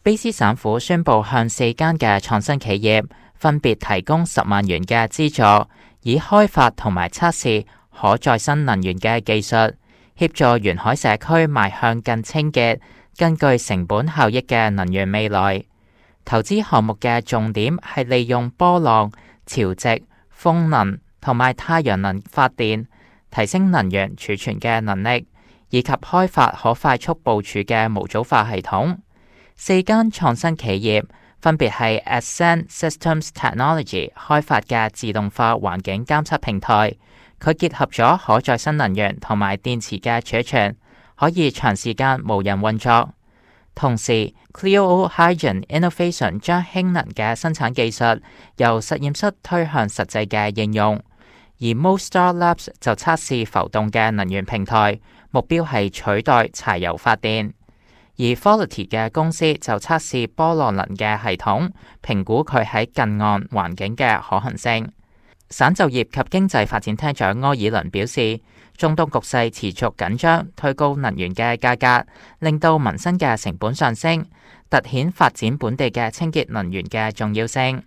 卑斯省府宣布向4間嘅創新企業分別提供10萬元嘅資助，以開發同埋測試可再生能源嘅技術，協助沿海社區邁向更清潔、更具成本效益嘅能源未來。投資項目嘅重點係利用波浪、潮汐、風能同埋太陽能發電，提升能源儲存嘅能力，以及開發可快速部署嘅模組化系統。4間創新企業分別係 Ascend Systems Technology 開發嘅自動化環境監測平台，佢結合咗可再生能源同埋電池嘅儲存，可以長時間無人運作。同時 Cleo Hydrogen Innovation 將氫能嘅生產技術由實驗室推向實際嘅應用，而 Mostar Labs 就測試浮動嘅能源平台，目標係取代柴油發電。而 Quality 嘅公司就測試波浪能嘅系統，評估佢喺近岸環境嘅可行性。省就業及經濟發展廳長柯爾倫表示，中東局勢持續緊張，推高能源嘅價格，令到民生嘅成本上升，凸顯發展本地嘅清潔能源嘅重要性。